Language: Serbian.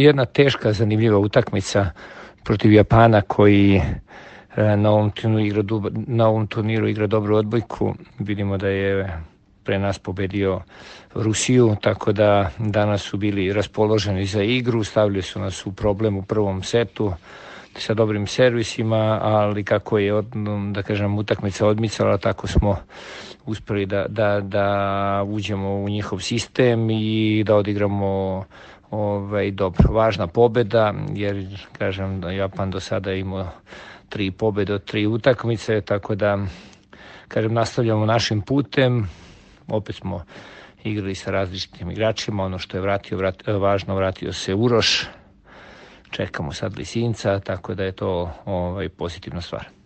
Jedna teška, zanimljiva utakmica protiv Japana koji na ovom turniru igra dobru odbojku. Vidimo da je pre nas pobedio Rusiju, tako da danas su bili raspoloženi za igru, stavili su nas u problem u prvom setu sa dobrim servisima, ali kako je, da kažem, utakmica odmicala, tako smo uspeli da uđemo u njihov sistem i da odigramo dobro. Važna pobeda, jer, kažem, da Japan do sada imao 3 pobede od 3 utakmice, tako da, kažem, nastavljamo našim putem. Opet smo igrali sa različitim igračima, ono što je važno, vratio se Uroš, čekamo sad Lisinca, tako da je to pozitivna stvar.